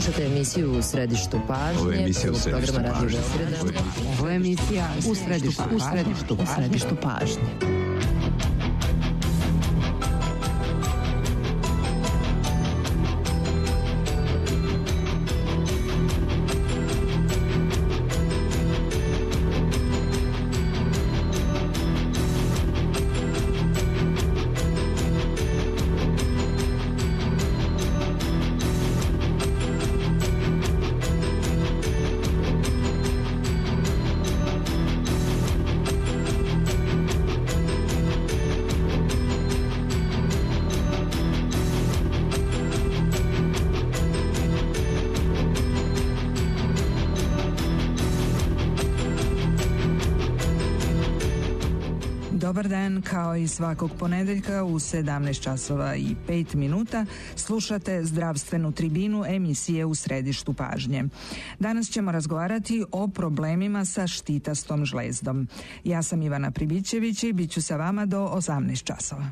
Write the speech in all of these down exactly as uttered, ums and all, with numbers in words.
Slušate emisiju U središtu pažnje. Ovo je emisija U središtu pažnje. Ovo je emisija U središtu, u središtu, u središtu pažnje. Dobar dan, kao i svakog ponedeljka u sedamnaest časova i pet minuta slušate zdravstvenu tribinu emisije U središtu pažnje. Danas ćemo razgovarati o problemima sa štitastom žlezdom. Ja sam Ivana Pribićević i bit ću sa vama do osamnaest časova.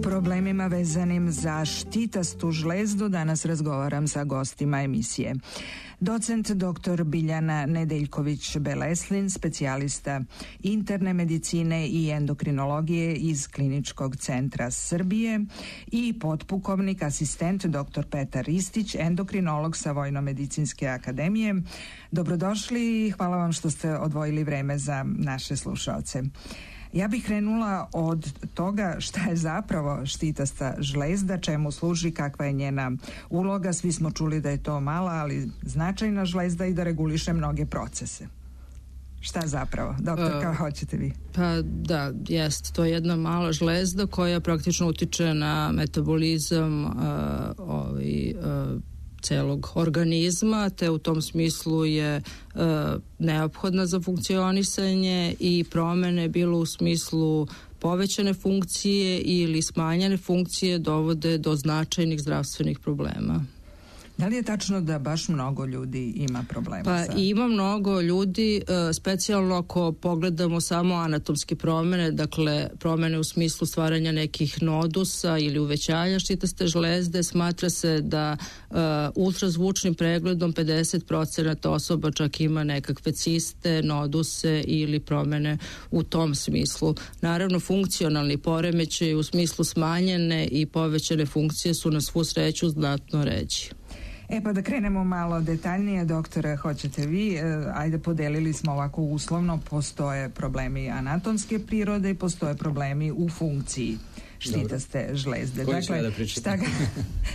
Problemima vezanim za štitastu žlezdu danas razgovaram sa gostima emisije. Docent doktor Biljana Nedeljković-Beleslin, specijalista interne medicine i endokrinologije iz Kliničkog centra Srbije, i potpukovnik asistent doktor Petar Ristić, endokrinolog sa Vojno-medicinske akademije. Dobrodošli i hvala vam što ste odvojili vreme za naše slušaoce. Ja bih krenula od toga šta je zapravo štitasta žlezda, čemu služi, kakva je njena uloga. Svi smo čuli da je to mala, ali značajna žlezda i da reguliše mnoge procese. Šta zapravo? Doktor, kao hoćete vi? Pa da, jest. To je jedna mala žlezda koja praktično utiče na metabolizam uh, ovaj, uh, celog organizma, te u tom smislu je e, neophodna za funkcionisanje i promene bilo u smislu povećane funkcije ili smanjene funkcije dovode do značajnih zdravstvenih problema. Da li je tačno da baš mnogo ljudi ima problema? Pa sa... ima mnogo ljudi, specijalno ako pogledamo samo anatomske promene, dakle promene u smislu stvaranja nekih nodusa ili uvećanja štitaste žlezde, smatra se da uh, ultrazvučnim pregledom pedeset procenata osoba čak ima nekakve ciste, noduse ili promene u tom smislu. Naravno, funkcionalni poremećaji u smislu smanjene i povećane funkcije su na svu sreću znatno ređi. E pa da krenemo malo detaljnije, doktore, hoćete vi, e, ajde podelili smo ovako uslovno, postoje problemi anatomske prirode i postoje problemi u funkciji štitaste Dobro. žlezde. Koji dakle, da pričate? Šta ga,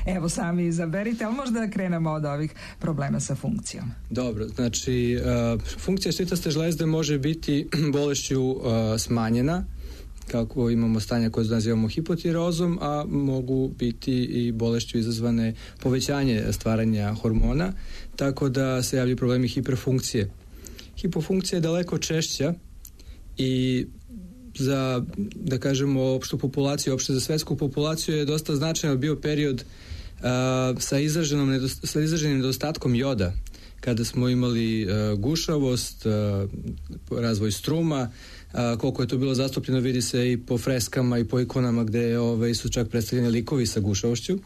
evo sami izaberite, ali možda da krenemo od ovih problema sa funkcijom. Dobro, znači uh, funkcija štitaste žlezde može biti bolešću uh, smanjena, kako imamo stanja koje nazivamo hipotirozom, a mogu biti i bolešću izazvane povećanje stvaranja hormona, tako da se javljaju problemi hiperfunkcije. Hipofunkcija je daleko češća i za, da kažemo, opštu populaciju, opšte za svetsku populaciju je dosta značajan bio period a, sa, izraženom nedost, sa izraženim nedostatkom joda, kada smo imali a, gušavost, a, razvoj struma. A, koliko je to bilo zastupljeno vidi se i po freskama i po ikonama gde ove, su čak predstavljeni likovi sa gušavošću.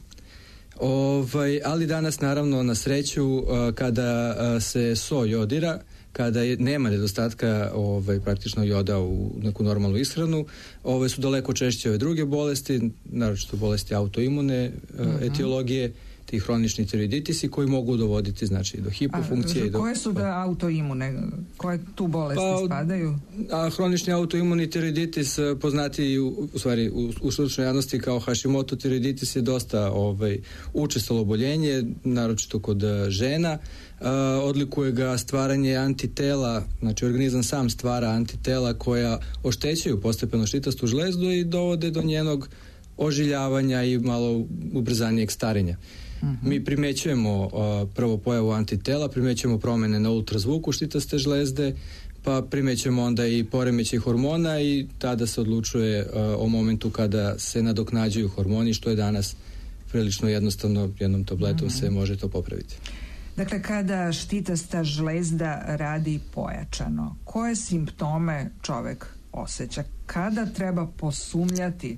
Ovaj, ali danas naravno na sreću a, kada a, se so jodira, kada je, nema nedostatka ovaj, praktično joda u neku normalnu ishranu, ove su daleko češće ove druge bolesti, naročito bolesti autoimune uh-huh. etiologije, ti hronični tiroiditisi koji mogu dovoditi znači do hipofunkcije. A, i do... koje su da autoimune? Koje tu bolesti pa, spadaju? A hronični autoimuni tiroiditis poznati u, u stvari u, u stručnoj javnosti kao Hashimoto tiroiditis je dosta ovaj, učestalo oboljenje, naročito kod žena. Uh, odlikuje ga stvaranje antitela, znači organizam sam stvara antitela koja oštećuju postepeno štitastu žlezdu i dovode do njenog ožiljavanja i malo ubrzanijeg starenja. Uh-huh. Mi primećujemo uh, prvo pojavu antitela, primećujemo promene na ultrazvuku štitaste žlezde, pa primećujemo onda i poremećaj hormona i tada se odlučuje uh, o momentu kada se nadoknađuju hormoni, što je danas prilično jednostavno, jednom tabletom uh-huh. se može to popraviti. Dakle, kada štitasta žlezda radi pojačano, koje simptome čovek osjeća? Kada treba posumnjati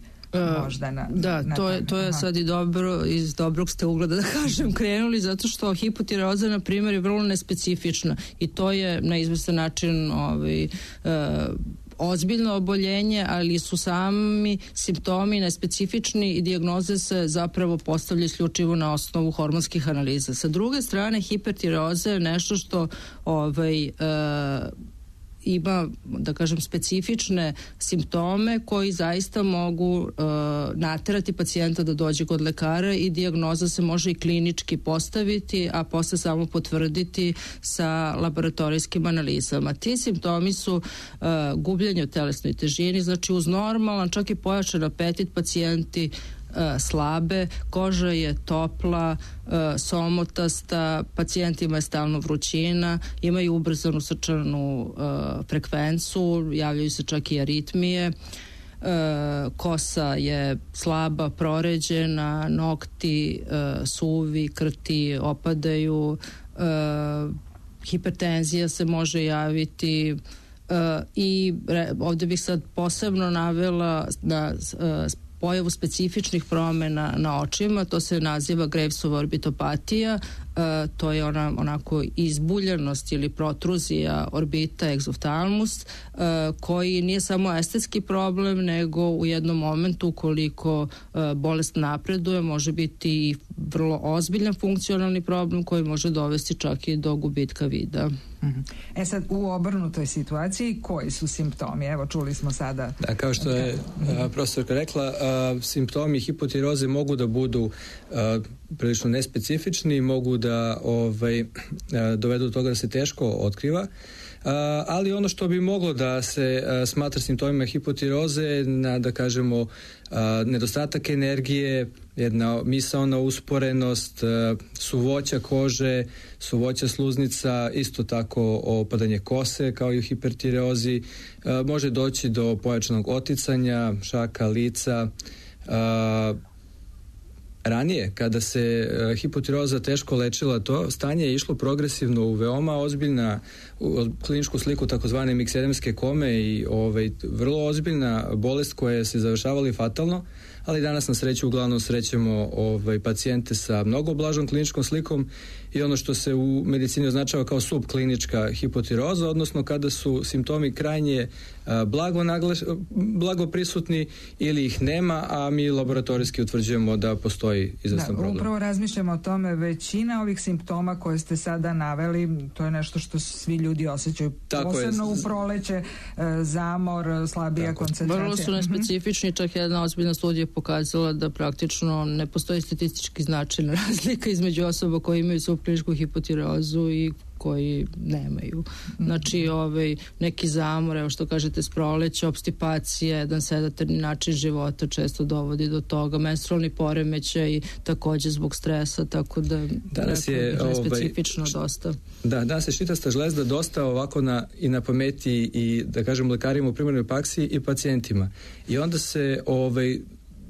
možda na, da, na to je, to je sad i dobro, iz dobrog ste ugleda da kažem krenuli, zato što hipotireoza na primjer je vrlo nespecifična i to je na izvestan način ovaj, uh, ozbiljno oboljenje, ali su sami simptomi nespecifični i dijagnoze se zapravo postavljaju isključivo na osnovu hormonskih analiza. Sa druge strane, hipertireoza je nešto što ovaj, e, ima, da kažem, specifične simptome koji zaista mogu e, naterati pacijenta da dođe kod lekara i dijagnoza se može i klinički postaviti, a posle samo potvrditi sa laboratorijskim analizama. Ti simptomi su e, gubljenje u telesnoj težini, znači uz normalan, čak i pojačan apetit pacijenti E, slabe, koža je topla, e, somotasta, pacijentima je stalno vrućina, imaju ubrzanu srčanu e, frekvencu, javljaju se čak i aritmije, e, kosa je slaba, proređena, nokti e, suvi, krti opadaju, e, hipertenzija se može javiti. Uh, i re, ovdje bih sad posebno navela da uh, pojavu specifičnih promjena na očima, to se naziva Gravesova orbitopatija, uh, to je ona onako izbuljenost ili protruzija orbita egzoftalmus, uh, koji nije samo estetski problem, nego u jednom momentu ukoliko uh, bolest napreduje, može biti i vrlo ozbiljan funkcionalni problem koji može dovesti čak i do gubitka vida. E sad, u obrnutoj situaciji koji su simptomi? Evo, čuli smo sada. Da, kao što je a, profesorka rekla, a, simptomi hipotiroze mogu da budu a, prilično nespecifični, mogu da ovaj, a, dovedu do toga da se teško otkriva. Uh, ali ono što bi moglo da se uh, smatra simptomima hipotiroze, na, da kažemo, uh, nedostatak energije, jedna misaona usporenost, uh, suvoća kože, suvoća sluznica, isto tako opadanje kose kao i u hipertireozi, uh, može doći do pojačanog oticanja, šaka lica. Uh, Ranije, kada se uh, hipotiroza teško lečila, to stanje je išlo progresivno u veoma ozbiljna u kliničku sliku takozvane miksedemske kome i ovaj, vrlo ozbiljna bolest koja se završavala fatalno, ali danas na sreću uglavnom srećemo ovaj, pacijente sa mnogo blažom kliničkom slikom i ono što se u medicini označava kao subklinička hipotiroza, odnosno kada su simptomi krajnje a, blago, naglaš, blago prisutni ili ih nema, a mi laboratorijski utvrđujemo da postoji izvestan problem. Da, upravo razmišljamo o tome, većina ovih simptoma koje ste sada naveli, to je nešto što svi ljudi osjećaju, tako posebno je. U proleće, zamor, slabija tako. Koncentracija. Vrlo su nespecifični, čak jedna ozbiljna studija pokazala da praktično ne postoji statistički značajna razlika između osoba koji imaju subkliničku hipotireozu i koji nemaju. Znači, ovaj, neki zamor, evo što kažete s proleća, obstipacija, jedan sedatarni način života često dovodi do toga, menstrualni poremećaj također zbog stresa, tako da danas je ovaj, specifično ovaj, dosta. Da, danas je štitasta žlezda dosta ovako na, i na pameti i da kažem lekarima u primarnoj praksi i pacijentima. I onda se ovaj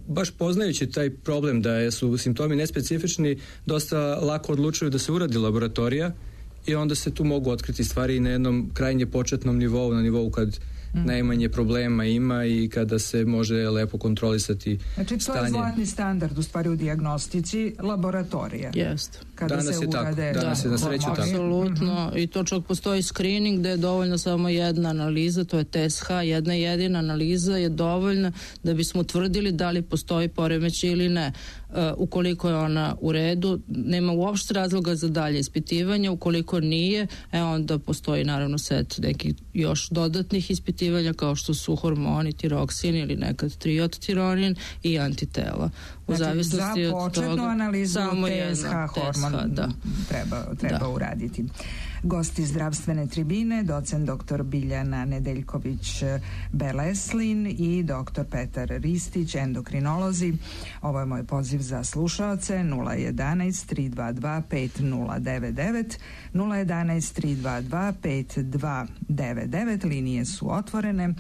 baš poznajući taj problem da su simptomi nespecifični, dosta lako odlučuju da se uradi laboratorija i onda se tu mogu otkriti stvari na jednom krajnje početnom nivou, na nivou kad mm. najmanje problema ima i kada se može lepo kontrolisati znači, to stanje. Je zlatni standard u stvari u dijagnostici laboratorija. Jest. Kada danas se je urade, tako, danas da, je na sreću tako. Apsolutno, mm-hmm. i to čak postoji screening gde je dovoljno samo jedna analiza, to je T S H, jedna jedina analiza je dovoljna da bismo utvrdili da li postoji poremećaj ili ne. ukoliko je ona u redu, nema uopšte razloga za dalje ispitivanja. Ukoliko nije, e onda postoji naravno set nekih još dodatnih ispitivanja kao što su hormoni, tiroksin ili nekad triodtironin i antitela. U znači, zavisnosti za od toga, analizu samo T S H hormon da. treba, treba da. uraditi. Gosti zdravstvene tribine, docent doktor Biljana Nedeljković-Beleslin i doktor Petar Ristić, endokrinolozi. Ovo je moj poziv za slušaoce nula jedanaest tri dva dva pet nula devet devet, nula jedanaest tri dva dva pet dva devet devet, linije su otvorene.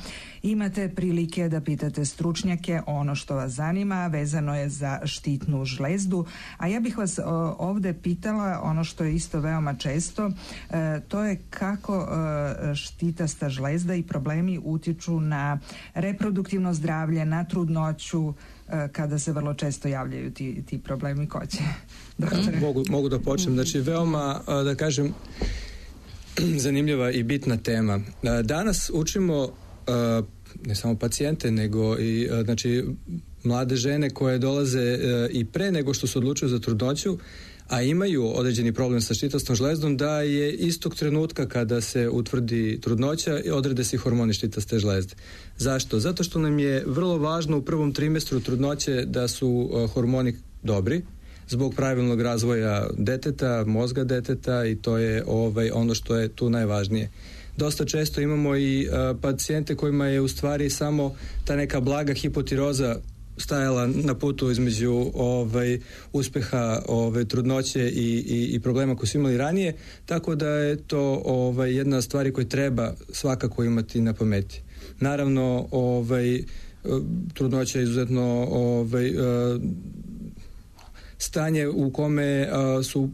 Imate prilike da pitate stručnjake ono što vas zanima, vezano je za štitnu žlezdu, a ja bih vas o, ovde pitala ono što je isto veoma često, e, to je kako e, štitasta žlezda i problemi utiču na reproduktivno zdravlje, na trudnoću, e, kada se vrlo često javljaju ti, ti problemi. Ko će? Mogu, mogu da počnem. Znači, veoma, da kažem, zanimljiva i bitna tema. Danas učimo ne samo pacijente, nego i znači mlade žene koje dolaze i pre nego što se odlučuju za trudnoću, a imaju određeni problem sa štitastom žlezdom, da je istog trenutka kada se utvrdi trudnoća odrede se hormoni štitaste žlezde. Zašto? Zato što nam je vrlo važno u prvom trimestru trudnoće da su hormoni dobri, zbog pravilnog razvoja deteta, mozga deteta, i to je ovaj ono što je tu najvažnije. Dosta često imamo i a, pacijente kojima je u stvari samo ta neka blaga hipotiroza stajala na putu između ovaj uspeha ove trudnoće i, i, i problema koje su imali ranije, tako da je to ovaj jedna stvari koju treba svakako imati na pameti. Naravno, ovaj trudnoća je izuzetno ovaj stanje u kome a, su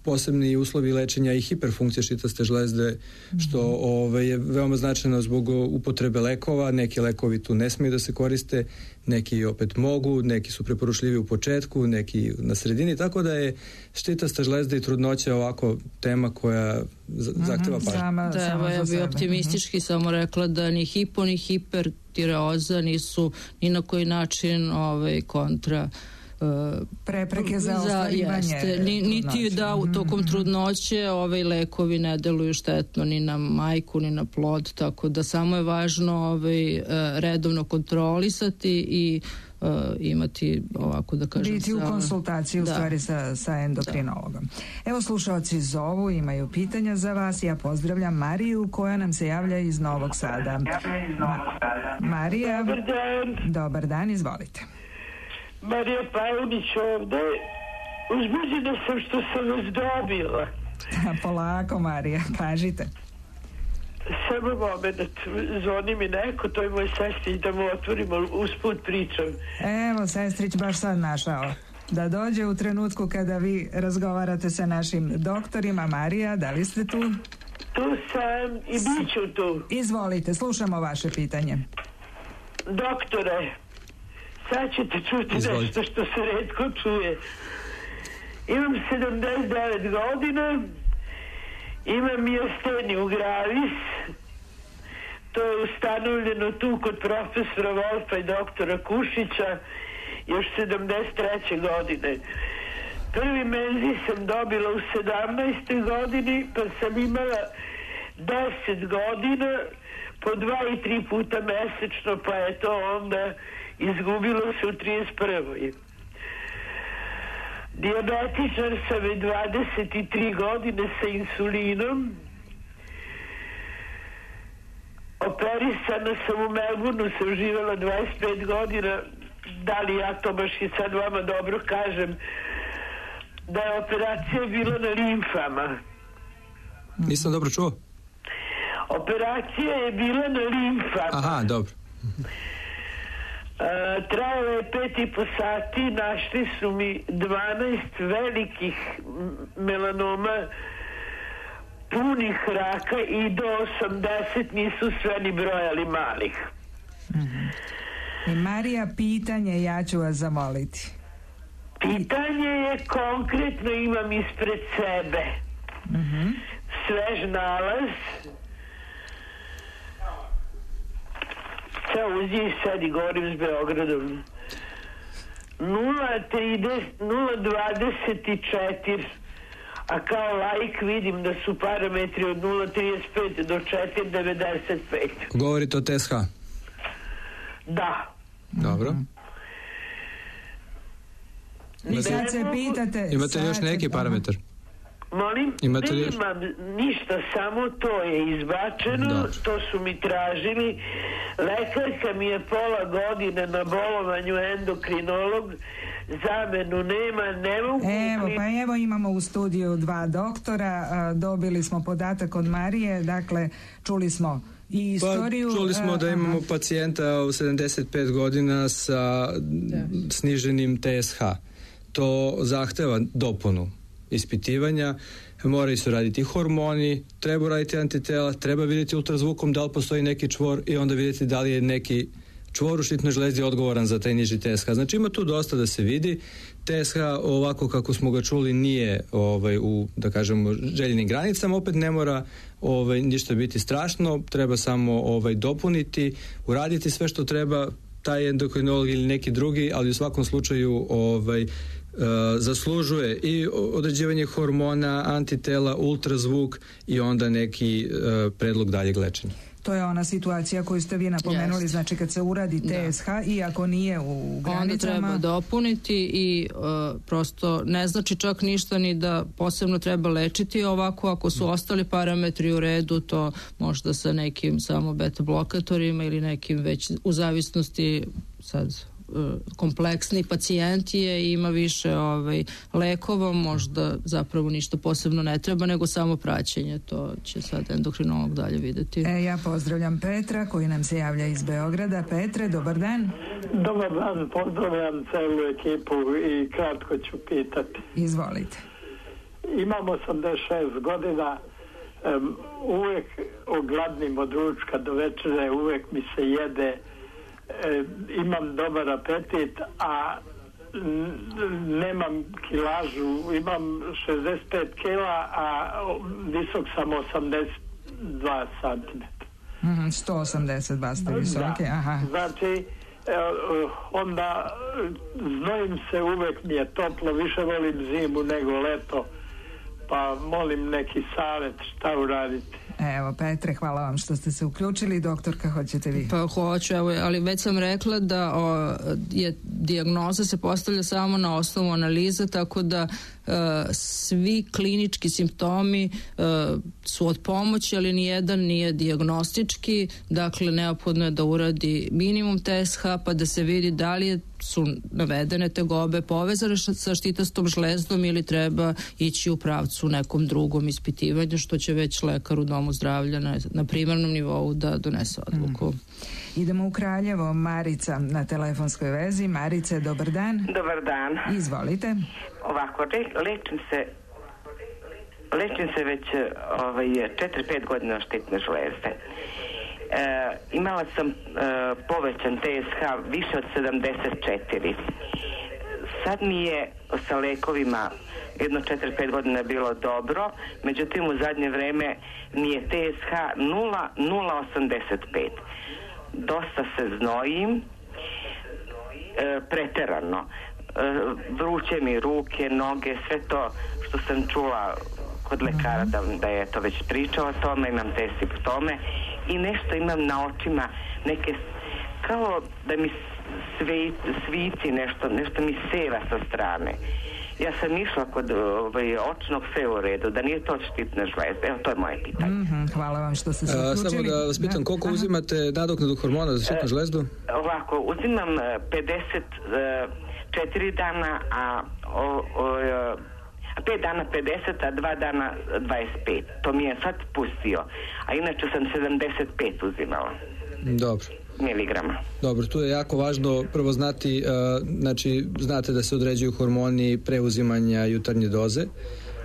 posebni uslovi lečenja i hiperfunkcije štitaste žlezde, što ove, je veoma značajno zbog upotrebe lekova. Neki lekovi tu ne smiju da se koriste, neki opet mogu, neki su preporučljivi u početku, neki na sredini, tako da je štitasta žlezda i trudnoća ovako tema koja zahteva pažnju. Sama, da, sama evo, ja bi optimistički uh-huh. samo rekla da ni hipo ni hipertireoza nisu ni na koji način ovaj, kontra prepreke za ostvarivanje. Jeste, ni, niti da u tokom trudnoće ovaj lekovi ne deluju štetno ni na majku ni na plod, tako da samo je važno ovaj redovno kontrolisati i uh, imati ovako da kažem biti u sa, konsultaciji u da. stvari sa, sa endokrinologom. Da. Evo, slušaoci zovu, imaju pitanja za vas. Ja pozdravljam Mariju koja nam se javlja iz Novog Sada. Ma- Marija, dobar dan. Dobar dan, izvolite. Marija Pavunić ovde. Uzbuđena sam što sam vas dobila. Polako, Marija, kažite. Samo moment, zvoni mi neko, to je moj sestrić, da mu otvorimo, usput pričam. Evo, sestrić baš sad našao. Da dođe u trenutku kada vi razgovarate sa našim doktorima. Marija, da li ste tu? Tu sam i bit ću tu. Izvolite, slušamo vaše pitanje. Doktore, sad ćete čuti Izvolite. Nešto što se retko čuje. Imam sedamdeset devet godina, imam miasteniju gravis, to je ustanovljeno tu kod profesora Wolfa i doktora Kušića još sedamdeset treće godine. Prvi menzij sam dobila u sedamnaestoj godini, pa sam imala deset godina, po dva i tri puta mesečno, pa je to onda izgubilo se u trideset prvoj. Dijabetičar sam već dvadeset tri godine sa insulinom. Operisana sam u Melbourneu, sam živjela dvadeset pet godina. Da li ja to baš i sad vama dobro kažem, da je operacija bila na limfama. Nisam dobro čuo. Operacija je bila na limfama. Aha, dobro. Uh, trajalo je pet i po sati, našli su mi dvanaest velikih melanoma punih raka i do osamdeset nisu sve ni brojali malih. Mm-hmm. I Marija, pitanje, ja ću vas zamoliti. Pitanje je konkretno, imam ispred sebe. Mm-hmm. Svež nalaz. Ceo uzije sedi, govorim s Beogradom. nula dvadeset četiri, a kao laik vidim da su parametri od nula trideset pet do četiri devedeset pet. Govorite o T S H? Da. Dobro. I sad se pitate... Imate još neki parametar? Molim? Imate li... Nemam ništa, samo to je izbačeno. Dobre. To su mi tražili. Lekarka mi je pola godine na bolovanju, endokrinolog. Zamenu nema, ne mogu... Evo, pa evo imamo u studiju dva doktora. Dobili smo podatak od Marije. Dakle, čuli smo i istoriju... Pa, čuli smo da imamo pacijenta u sedamdeset pet godina sa sniženim T S H. To zahteva dopunu ispitivanja, moraju se raditi hormoni, treba raditi antitela, treba vidjeti ultrazvukom da li postoji neki čvor i onda vidjeti da li je neki čvor u štitnoj žlezdi odgovoran za taj niži T S H. Znači ima tu dosta da se vidi. T S H ovako kako smo ga čuli nije ovaj, u, da kažemo, željenim granicama, opet ne mora ovaj, ništa biti strašno, treba samo ovaj, dopuniti, uraditi sve što treba taj endokrinolog ili neki drugi, ali u svakom slučaju ovaj, Uh, zaslužuje i određivanje hormona, antitela, ultrazvuk i onda neki uh, predlog daljeg lečenja. To je ona situacija koju ste vi napomenuli, yes. Znači kad se uradi T S H da. I ako nije u granicama... Onda treba dopuniti i uh, prosto ne znači čak ništa ni da posebno treba lečiti ovako, ako su ostali parametri u redu, to možda sa nekim samo beta blokatorima ili nekim već u zavisnosti sad... kompleksni pacijent je i ima više ovaj, lekova, možda zapravo ništa posebno ne treba, nego samo praćenje, to će sad endokrinolog dalje vidjeti. E, ja pozdravljam Petra koji nam se javlja iz Beograda. Petre, dobar dan. Dobar dan, pozdravljam celu ekipu i kratko ću pitati. Izvolite. Imam osamdeset šest godina, um, uvek ogladnim od ručka do večere, uvek mi se jede. E, imam dobar apetit, a n- nemam kilažu, imam šezdeset pet kila, a visok sam osamdeset dva centimetra. Mm, sto osamdeset dva ste visoke, da. Aha. Znači, e, onda znojim se, uvek mi je toplo, više volim zimu nego leto, pa molim neki savjet šta uraditi. Evo, Petre, hvala vam što ste se uključili. Doktorka, hoćete vi? Pa hoću, evo, ali već sam rekla da o, je dijagnoza se postavlja samo na osnovu analize, tako da e, svi klinički simptomi e, su od pomoći, ali nijedan nije dijagnostički, dakle neophodno je da uradi minimum T S H pa da se vidi da li je su navedene tegobe povezane sa štitastom žlezdom ili treba ići u pravcu nekom drugom ispitivanju, što će već lekar u domu zdravlja na, na primarnom nivou da donese odluku. Mm. Idemo u Kraljevo. Marica na telefonskoj vezi. Marice, dobar dan. Dobar dan. Izvolite. Ovako, le, lečim se lečim se već ovaj, četiri pet godina štitne žlezde. E, imala sam e, povećan T S H više od sedamdeset četiri. Sad mi je sa lekovima jedno četiri pet godina bilo dobro, međutim u zadnje vreme mi je T S H nula zarez osamdeset pet. Dosta se znojim, e, preterano. E, vruće mi ruke, noge, sve to što sam čula kod lekara da, da je to već pričao o tome, imam te simptome i nešto imam na očima, neke kao da mi sve, svici nešto, nešto mi seva sa strane. Ja sam išla kod ovaj, očnog, sve u redu, da nije to štitne žlezde. Evo, to je moje pitanje. Mm-hmm, hvala vam što ste se uključili. Samo da vas pitam, koliko da. uzimate nadoknadu hormona za štitnu žlezdu? E, ovako, uzimam pedeset četiri dana, a o, o, pet dana pedeset, a dva dana dvadeset pet. To mi je sad pustio. A inače sam sedamdeset pet uzimala. Dobro. Miligrama. Dobro, tu je jako važno prvo znati, uh, znači znate da se određuju hormoni preuzimanja jutarnje doze,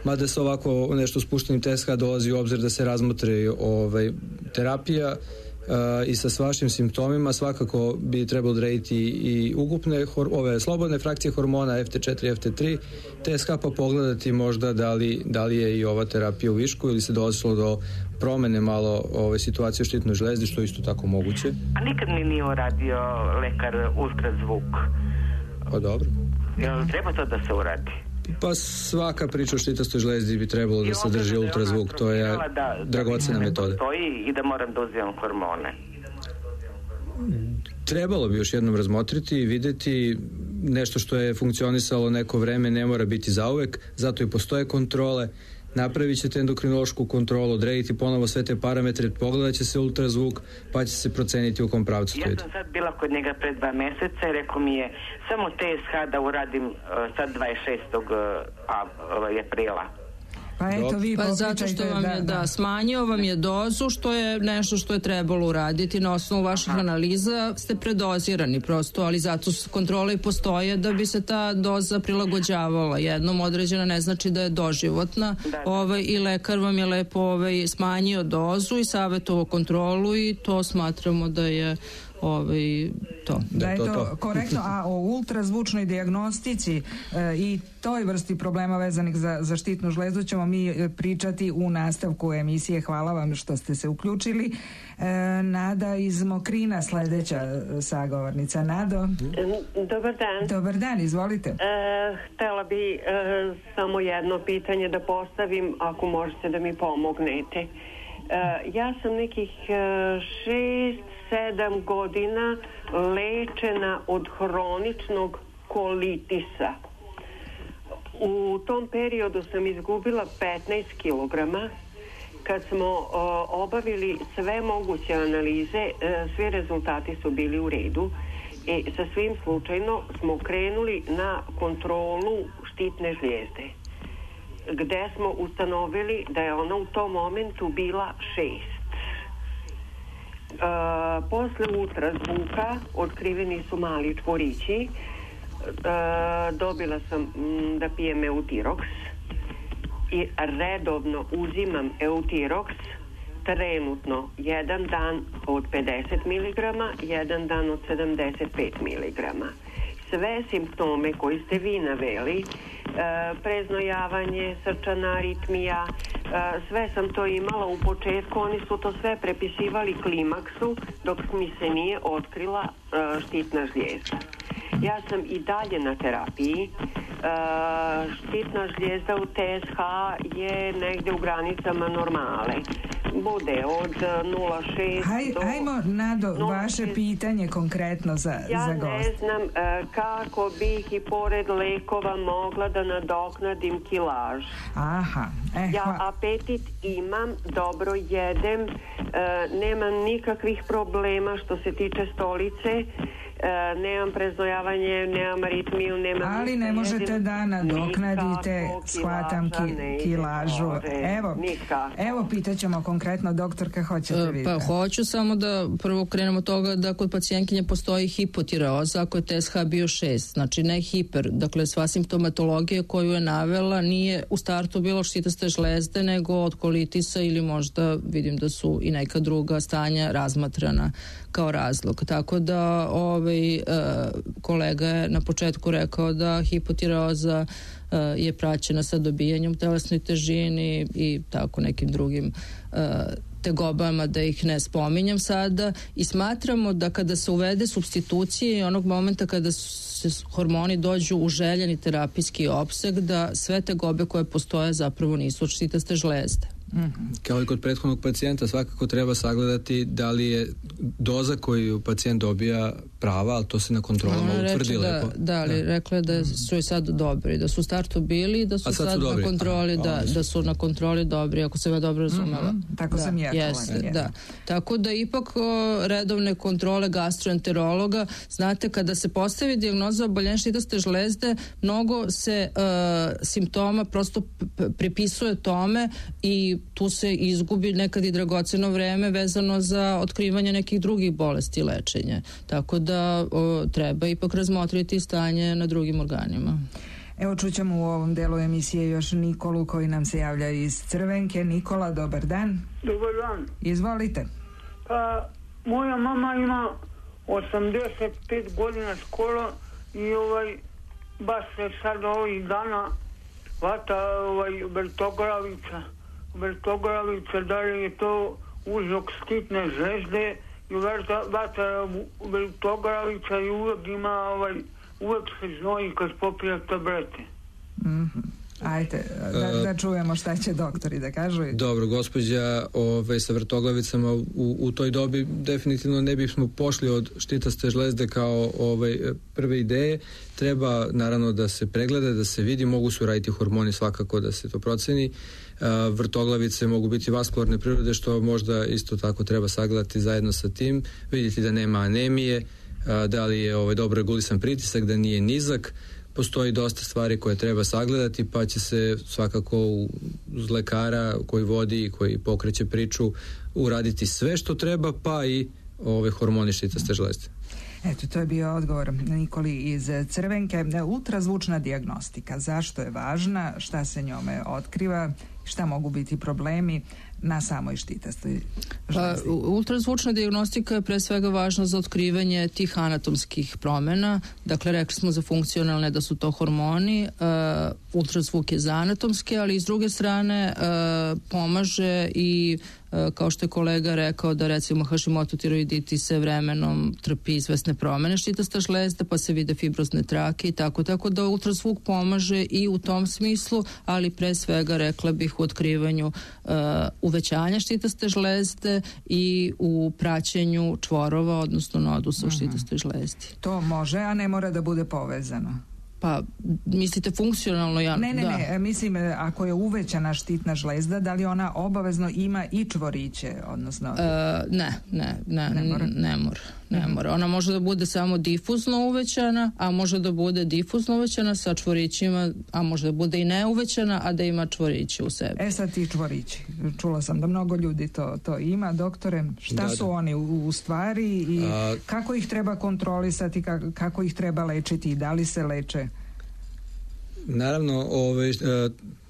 mada se ovako nešto spuštenim T S H dolazi u obzir da se razmotri ovaj, terapija uh, i sa vašim simptomima svakako bi trebalo odrediti i ukupne hor, ove slobodne frakcije hormona F T četiri, F T tri, T S H pa pogledati možda da li, da li je i ova terapija u višku ili se dolazilo do promene malo ove situacije u štitnoj žlezdi, što je isto tako moguće. A nikad mi nije uradio lekar ultrazvuk Pa dobro. Jel treba to da se uradi? Pa svaka priča o štitastoj žlezdi bi trebalo da sadrži ultrazvuk, to je dragocena metoda. Da postoji i da moram da uzimam hormone. Trebalo bi još jednom razmotriti i videti. Nešto što je funkcionisalo neko vreme ne mora biti zauvek, zato i postoje kontrole. Napravit ćete endokrinološku kontrolu, odrediti ponovo sve te parametre, pogledat će se ultrazvuk, pa će se proceniti u kom pravcu to ide. Ja sam sad bila kod njega pred dva meseca i rekao mi je samo T S H da uradim uh, sad dvadeset šestog aprila. Pa eto vi pa zato što vam je, da, da, smanjio vam je dozu, što je nešto što je trebalo uraditi na osnovu vaših Aha. analiza, ste predozirani prosto, ali zato kontrole i postoje da bi se ta doza prilagođavala. Jednom određena ne znači da je doživotna, da, da. Ovaj, i lekar vam je lepo ovaj, smanjio dozu i savjetovao kontrolu i to smatramo da je ovaj, to. Da je to, to korektno, a o ultrazvučnoj dijagnostici e, i toj vrsti problema vezanih za, za štitnu žlezdu ćemo mi pričati u nastavku emisije. Hvala vam što ste se uključili. E, Nada iz Mokrina, sledeća sagovornica. Nado? Dobar dan. Dobar dan, izvolite. E, htela bi e, samo jedno pitanje da postavim, ako možete da mi pomognete. E, ja sam nekih e, šest sedam godina lečena od hroničnog kolitisa. U tom periodu sam izgubila petnaest kilograma. Kad smo o, obavili sve moguće analize, e, svi rezultati su bili u redu. E, sa svim slučajno smo krenuli na kontrolu štitne žlijezde, gde smo ustanovili da je ona u tom momentu bila šest. Uh, posle ultrazvuka otkriveni su mali čvorići. Uh, dobila sam m, da pijem Eutirox i redovno uzimam Eutirox, trenutno jedan dan od pedeset miligrama, jedan dan od sedamdeset pet miligrama. Sve simptome koji ste vi naveli, uh, preznojavanje, srčana aritmija, Uh, sve sam to imala u početku, oni su to sve prepisivali klimaksu dok mi se nije otkrila uh, štitna žlijezda. Ja sam i dalje na terapiji. Uh, štitna žlijezda u T S H je negde u granicama normale. Bude od nula zarez šest Haj, do... Hajmo, Nado, vaše pitanje konkretno za, ja za gost. Ja ne znam uh, kako bih i pored lekova mogla da nadoknadim kilaž. Aha. Eh, ja apetit imam, dobro jedem, uh, nemam nikakvih problema što se tiče stolice. Uh, nemam preznojavanje, nemam aritmiju, nemam... Ali ne možete da nadoknadite, shvatam ki, kilažu. Evo, evo pitaćemo konkretno, doktorka, hoćete vidjeti? Pa hoću samo da prvo krenemo od toga da kod pacijentkinje postoji hipotireoza ako je T S H bio šest, znači ne hiper, dakle sva simptomatologija koju je navela nije u startu bilo štitaste žlezde, nego od kolitisa ili možda vidim da su i neka druga stanja razmatrana kao razlog. Tako da ovaj, e, kolega je na početku rekao da hipotireoza e, je praćena sa dobijanjem telesnoj težini i tako nekim drugim e, tegobama, da ih ne spominjem sada, i smatramo da kada se uvede supstitucije i onog momenta kada se hormoni dođu u željeni terapijski opseg, da sve tegobe koje postoje zapravo nisu od štitaste žlezde. Mm-hmm. Kao i kod prethodnog pacijenta, svakako treba sagledati da li je doza koju pacijent dobija prava, ali to se na kontrolama utvrdi lepo. Da, da, ali da. Rekla je da su i sad dobri, da su u startu bili i da su sad, sad su na kontroli, Aha, da, da su na kontroli dobri, ako se ja dobro razumela. Mm-hmm. Tako da, sam ja jeste, da. Tako da ipak o, redovne kontrole gastroenterologa, znate, kada se postavi dijagnoza oboljenja štitaste žlezde, mnogo se uh, simptoma prosto p- pripisuje tome i tu se izgubi nekad i dragoceno vreme vezano za otkrivanje nekih drugih bolesti i lečenje. Tako da o, treba ipak razmotriti stanje na drugim organima. Evo čućemo u ovom delu emisije još Nikolu koji nam se javlja iz Crvenke. Nikola, dobar dan. Dobar dan. Izvolite. Pa, moja mama ima osamdeset pet godina skoro i ovaj, baš se sad ovih dana vata ovaj, vrtoglavica. Vrtoglavica, da li je to uzrok štitne žlezde i vata vrtoglavica i uvijek ima ovaj uvek se znoji kad popija tablete. Mhm. Ajde, da, da čujemo šta će doktori da kažu. Dobro, gospođa ove, sa vrtoglavicama u, u toj dobi definitivno ne bismo pošli od štitaste žlezde kao ove, prve ideje. Treba naravno da se pregleda, da se vidi, mogu su raditi hormoni svakako da se to proceni. Vrtoglavice mogu biti vaskularne prirode, što možda isto tako treba sagledati zajedno sa tim, vidjeti da nema anemije, da li je ovaj, dobro regulisan pritisak, da nije nizak. Postoji dosta stvari koje treba sagledati, pa će se svakako uz lekara koji vodi i koji pokreće priču uraditi sve što treba, pa i ove hormoni štitaste žlezde. Eto, to je bio odgovor Nikoli iz Crvenke. Ultrazvučna dijagnostika, zašto je važna, šta se njome otkriva, šta mogu biti problemi na samoj štitastoj žlezdi? Pa, ultrazvučna dijagnostika je pre svega važna za otkrivanje tih anatomskih promjena. Dakle, rekli smo za funkcionalne da su to hormoni, uh, ultrazvuk je za anatomske, ali s druge strane uh, pomaže i uh, kao što je kolega rekao da recimo Hashimoto tiroiditis se vremenom trpi izvesne promjene štitaste žlezde, pa se vide fibrozne trake i tako, tako da ultrazvuk pomaže i u tom smislu, ali pre svega rekla bih u otkrivanju uh, uvećanja štitaste žlezde i u praćenju čvorova, odnosno nodusa u štitastoj žlezdi. To može, a ne mora da bude povezano. Pa, mislite funkcionalno? Ja, ne, ne, da. ne, mislim, ako je uvećana štitna žlezda, da li ona obavezno ima i čvoriće, odnosno... E, ne, ne, ne, ne mora. Ne mora. Ne mora. Ona može da bude samo difuzno uvećana, a može da bude difuzno uvećana sa čvorićima, a može da bude i neuvećana, a da ima čvoriće u sebi. E sad ti čvorići. Čula sam da mnogo ljudi to, to ima. Doktore, šta da, su da. oni u, u stvari i a... kako ih treba kontrolisati, kako, kako ih treba lečiti i da li se leče? Naravno, ove,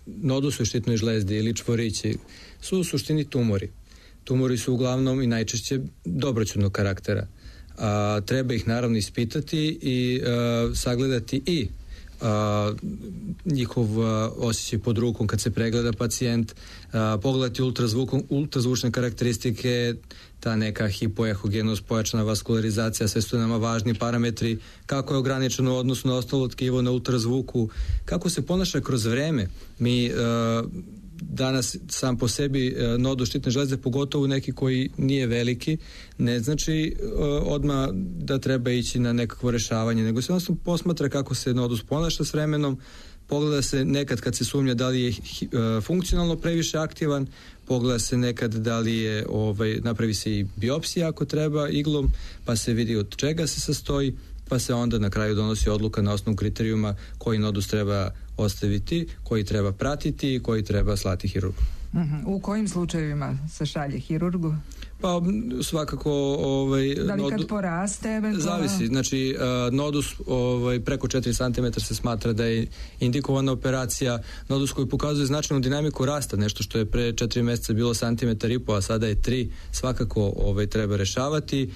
nodus u štitnoj žlezdi ili čvorići su u suštini tumori. Tumori su uglavnom i najčešće dobroćudnog karaktera. A, treba ih naravno ispitati i a, sagledati i a, njihov a, osjećaj pod rukom kad se pregleda pacijent, a, pogledati ultrazvukom, ultrazvučne karakteristike, ta neka hipoehogenost, pojačana vaskularizacija, sve su nama važni parametri, kako je ograničeno odnosno na ostalo tkivo na ultrazvuku, kako se ponaša kroz vreme. Mi a, danas sam po sebi nodus štitne žlezde, pogotovo neki koji nije veliki, ne znači uh, odmah da treba ići na nekakvo rešavanje, nego se jednostavno posmatra kako se nodus ponaša s vremenom, pogleda se nekad kad se sumnja da li je uh, funkcionalno previše aktivan, pogleda se nekad da li je, ovaj, napravi se i biopsija ako treba iglom, pa se vidi od čega se sastoji, pa se onda na kraju donosi odluka na osnovu kriterijuma koji nodus treba ostaviti, koji treba pratiti i koji treba slati hirurgu. Uh-huh. U kojim slučajevima se šalje hirurgu? Pa svakako ovaj, da li nodu... kad poraste eventualno? Zavisi, znači uh, nodus ovaj, preko četiri centimetra se smatra da je indikovana operacija, nodus koji pokazuje značajnu dinamiku rasta, nešto što je pre četiri mjeseca bilo santimetar i po, a sada je tri, svakako ovaj, treba rešavati.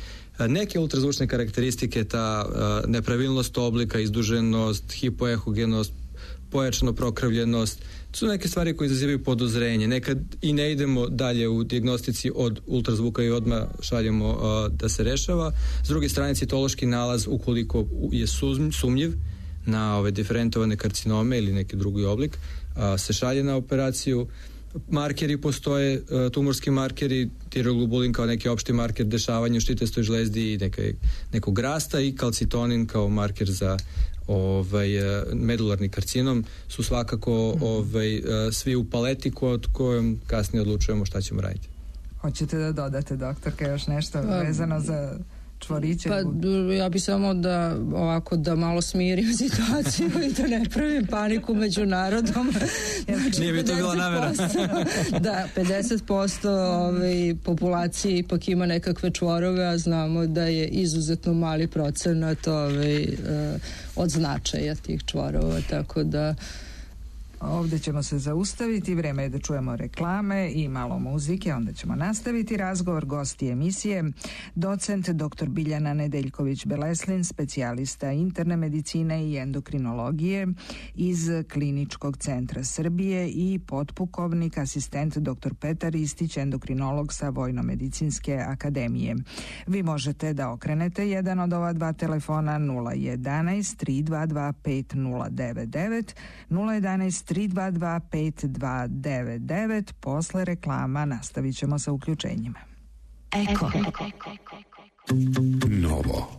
Neke ultrazvučne karakteristike, ta uh, nepravilnost oblika, izduženost, hipoehogenost, pojačano prokrvljenost, su neke stvari koje izazivaju podozrenje. Nekad i ne idemo dalje u dijagnostici od ultrazvuka i odmah šaljemo uh, da se rešava. S druge strane, citološki nalaz, ukoliko je sumnjiv na ove diferentovane karcinome ili neki drugi oblik, uh, se šalje na operaciju. Markeri postoje, tumorski markeri, tiroglobulin kao neki opšti marker dešavanja u štitastoj žlezdi i neka, nekog rasta i kalcitonin kao marker za ovaj, medularni karcinom su svakako ovaj, svi u paleti kod kojom kasnije odlučujemo šta ćemo raditi. Hoćete da dodate, doktorka, još nešto vezano za čvoriće? Pa ja bi samo da ovako da malo smirim situaciju i da ne pravim paniku među narodom. Znači, nije bi to bila namera. Da, pedeset posto ovaj, populacije ipak ima nekakve čvorove, a znamo da je izuzetno mali procenat ovaj, od značaja tih čvorova, tako da Ovdje ćemo se zaustaviti, vreme je da čujemo reklame i malo muzike, onda ćemo nastaviti razgovor. Gosti emisije, docent doktor Biljana Nedeljković-Beleslin, specijalista interne medicine i endokrinologije iz Kliničkog centra Srbije, i potpukovnik, asistent doktor Petar Istić, endokrinolog sa Vojnomedicinske akademije. Vi možete da okrenete jedan od ova dva telefona nula jedanaest tri dva dva pet nula devet devet, nula jedanaest tri dva dva pet dva devet devet. Posle reklama nastavit ćemo sa uključenjima. Eko. Novo.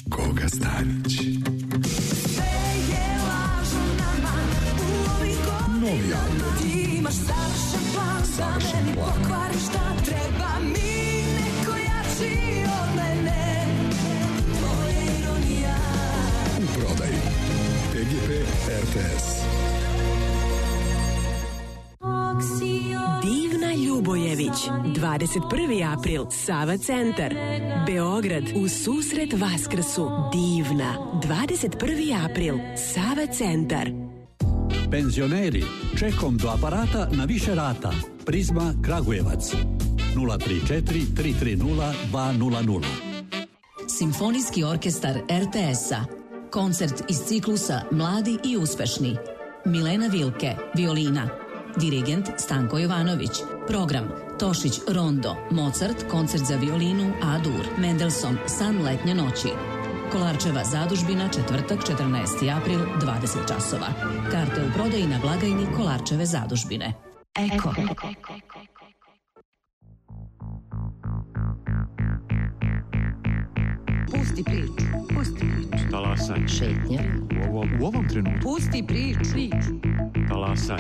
Goga Stanić. Novi album. Savršen plan. U prodaji T G P R T S. Divna Ljubojević, dvadeset prvi april, Sava centar, Beograd, u susret Vaskrsu. Divna, dvadeset prvi april, Sava centar. Penzioneri, čekom do aparata na više rata. Prizma Kragujevac, nula tri četiri tri tri nula dva nula nula. Simfonijski orkestar R T S-a. Koncert iz ciklusa Mladi i uspešni. Milena Vilke, violina. Dirigent Stanko Jovanović. Program Tošić Rondo, Mozart, koncert za violinu A-dur, Mendelssohn, San letnje noći. Kolarčeva zadužbina, četvrtak, četrnaesti april, dvadeset časova. Karte u prodaji na blagajni Kolarčeve zadužbine. Eko. Pusti priču, pusti priču. Talasaj. Šetnja. U ovom, u ovom trenutku. Pusti priču. Talasaj.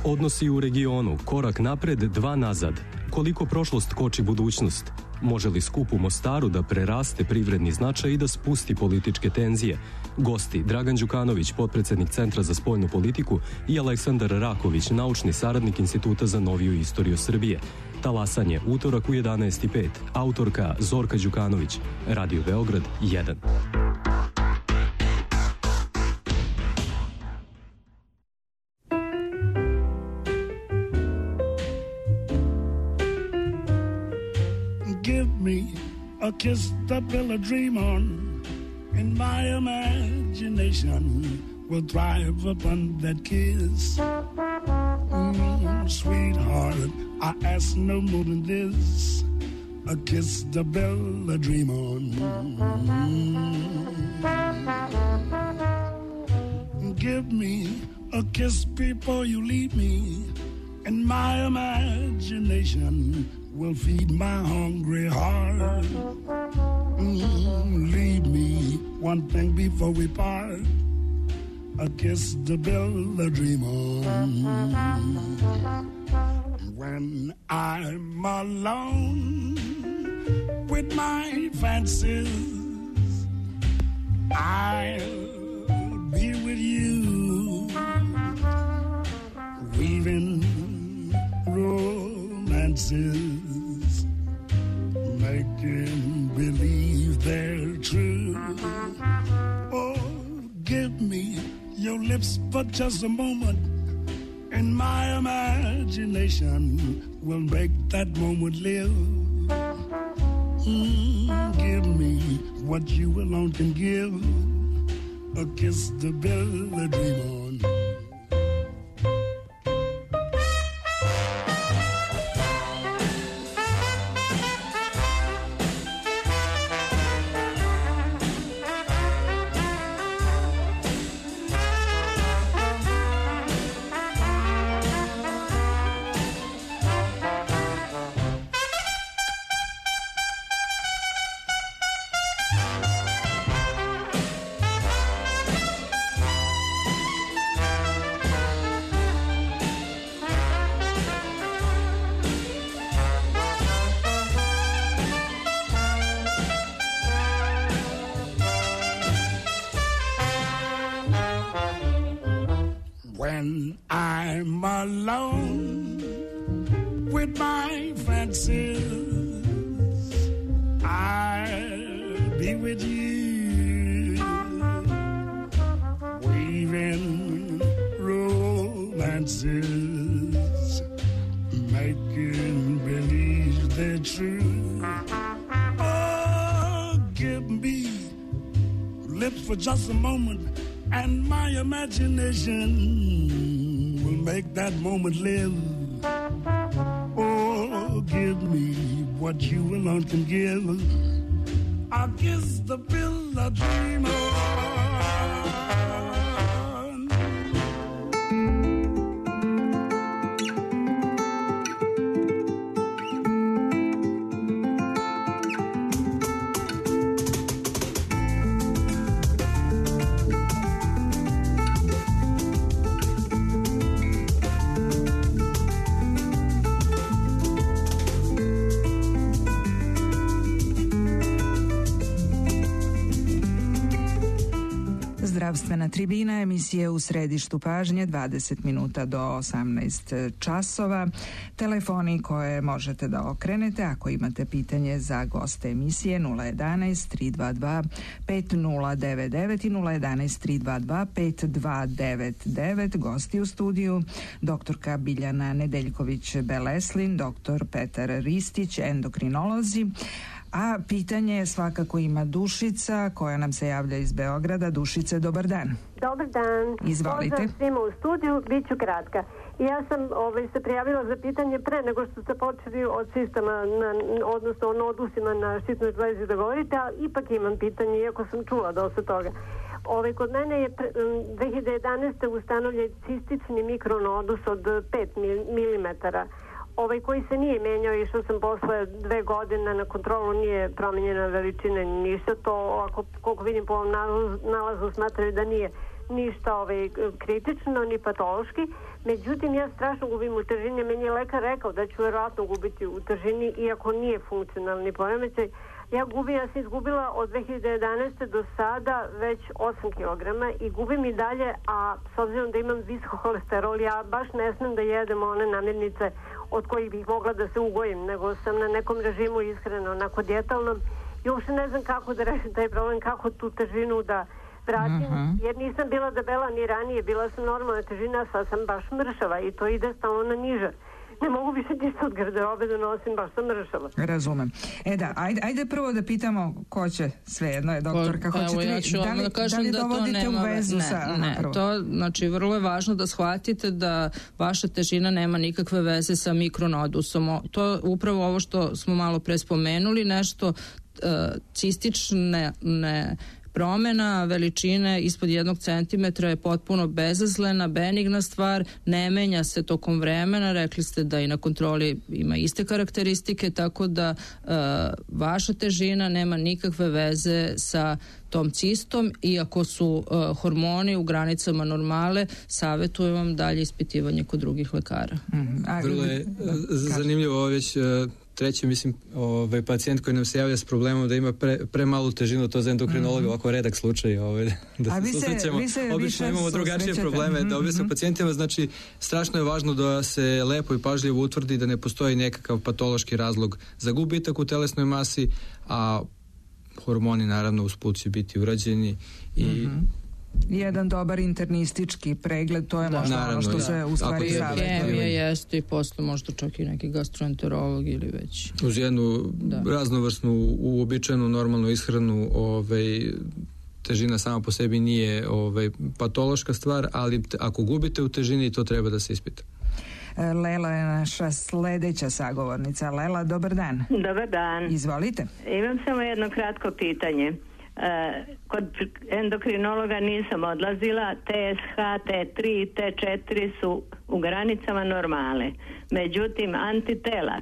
Odnosi u regionu, korak napred, dva nazad. Koliko prošlost koči budućnost? Može li skup u Mostaru da preraste privredni značaj i da spusti političke tenzije? Gosti Dragan Đukanović, potpredsednik Centra za spoljnu politiku, i Aleksandar Raković, naučni saradnik Instituta za noviju istoriju Srbije. Talasanje, utorak u jedanaest i pet. Autorka Zorka Đukanović. Radio Beograd jedan. Give me a kiss to build a dream on, and my imagination will thrive upon that kiss. Mm, sweetheart, I ask no more than this, a kiss to build a dream on. Mm. Give me a kiss before you leave me, and my imagination will feed my hungry heart. Mm, leave me one thing before we part, a kiss to build a dream on. When I'm alone with my fancies, I'll be with you, weaving romances, making believe they're true. Oh, give me your lips for just a moment, and my imagination will make that moment live. Mm, give me what you alone can give, a kiss to build a dream on. When I'm alone with my fancies, I'll be with you, weaving romances, making believe they're true. Oh, give me lips for just a moment, and my imagination will make that moment live. Oh, give me what you alone can give. I'll kiss the pill I dream on. Zdravstvena tribina, emisije U središtu pažnje, dvadeset minuta do osamnaest časova. Telefoni koje možete da okrenete ako imate pitanje za goste emisije nula jedanaest tri dva dva pet nula devet devet i nula jedanaest tri dva dva pet dva devet devet. Gosti u studiju doktorka Biljana Nedeljković-Beleslin, doktor Petar Ristić, endokrinolozi. A pitanje svakako ima Dušica koja nam se javlja iz Beograda. Dušice, dobar dan. Dobar dan. Izvolite. Pozdrav svima u studiju, bit ću kratka. Ja sam ovaj, se prijavila za pitanje pre nego što ste počeli od sistema, na, odnosno o nodusima na štitnoj žlezi da govorite, a ipak imam pitanje, iako sam čula dosta toga. Ovaj, kod mene je dve hiljade jedanaeste. ustanovljen cistični mikronodus od pet milimetara. Ovaj koji se nije menjao, išao sam posle dve godine na kontrolu, nije promenjena veličina ni ništa. To, ako, koliko vidim po ovom nalazu, nalazu smatraju da nije ništa ovaj, kritično ni patološki. Međutim, ja strašno gubim u težini. Meni je lekar rekao da ću verovatno gubiti u težini, iako nije funkcionalni poremećaj. Ja gubim, ja sam izgubila od dve hiljade jedanaeste. do sada već osam kilograma i gubim i dalje, a s obzirom da imam visok holesterol, ja baš ne smem da jedem one namirnice od kojih bih mogla da se ugojim, nego sam na nekom režimu ishrane, onako djetalnom, i uopšte ne znam kako da rešim taj problem, kako tu težinu da vratim, uh-huh. jer nisam bila debela ni ranije, bila sam normalna težina, sad sam baš mršava i to ide stalno na niže. Ne mogu više ništa od garderobe da nosim, baš sam mršava. Razumem. E da, ajde, ajde prvo da pitamo ko će, svejedno je doktorka, pa, hoćete ja vi, ću da li, da kažem da li da dovodite to nema, u vezu ne, sa... Aha, ne, prvo. to, znači, vrlo je važno da shvatite da vaša težina nema nikakve veze sa mikronodusom. To upravo ovo što smo malo pre spomenuli, nešto uh, cistične ne, promena veličine ispod jednog centimetra je potpuno bezazlena, benigna stvar, ne menja se tokom vremena, rekli ste da i na kontroli ima iste karakteristike, tako da uh, vaša težina nema nikakve veze sa tom cistom, iako su uh, hormoni u granicama normale, savjetujem vam dalje ispitivanje kod drugih lekara. Mm-hmm. A, Vrlo je zanimljivo ovo već... Uh, treći, mislim, ovaj pacijent koji nam se javlja s problemom da ima pre, premalu težinu, to za endokrinologa, mm-hmm. ovako redak slučaj, ovaj, da se susrećemo. Obično imamo drugačije probleme, mm-hmm. da objasnim pacijentima, znači, strašno je važno da se lepo i pažljivo utvrdi da ne postoji nekakav patološki razlog za gubitak u telesnoj masi, a hormoni, naravno, usput će biti urađeni i mm-hmm. jedan dobar internistički pregled, to je da, možda ono što da. se u stvari savjetuje. Hemija jeste i posle možda čak i neki gastroenterolog ili već. Uz jednu da. raznovrsnu, uobičajenu, normalnu ishranu, ovaj, težina sama po sebi nije ovaj, patološka stvar, ali te, ako gubite u težini, to treba da se ispita. Lela je naša sledeća sagovornica. Lela, dobar dan. Dobar dan. Izvolite. Imam samo jedno kratko pitanje. Uh, kod endokrinologa nisam odlazila, T S H, T tri i T četiri su u granicama normale. Međutim, antitela,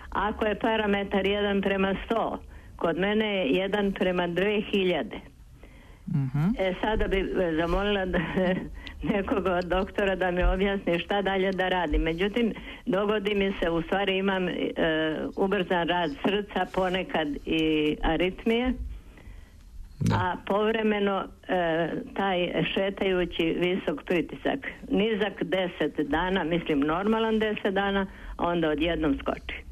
ako je parametar jedan prema sto, kod mene je jedan prema dve hiljade. Uh-huh. E, sada bi zamolila da, nekog od doktora da mi objasni šta dalje da radim. Međutim, dogodi mi se, u stvari imam uh, ubrzan rad srca, ponekad i aritmije. Da. A povremeno e, taj šetajući visok pritisak, nizak deset dana, mislim normalan deset dana, a onda odjednom skoči.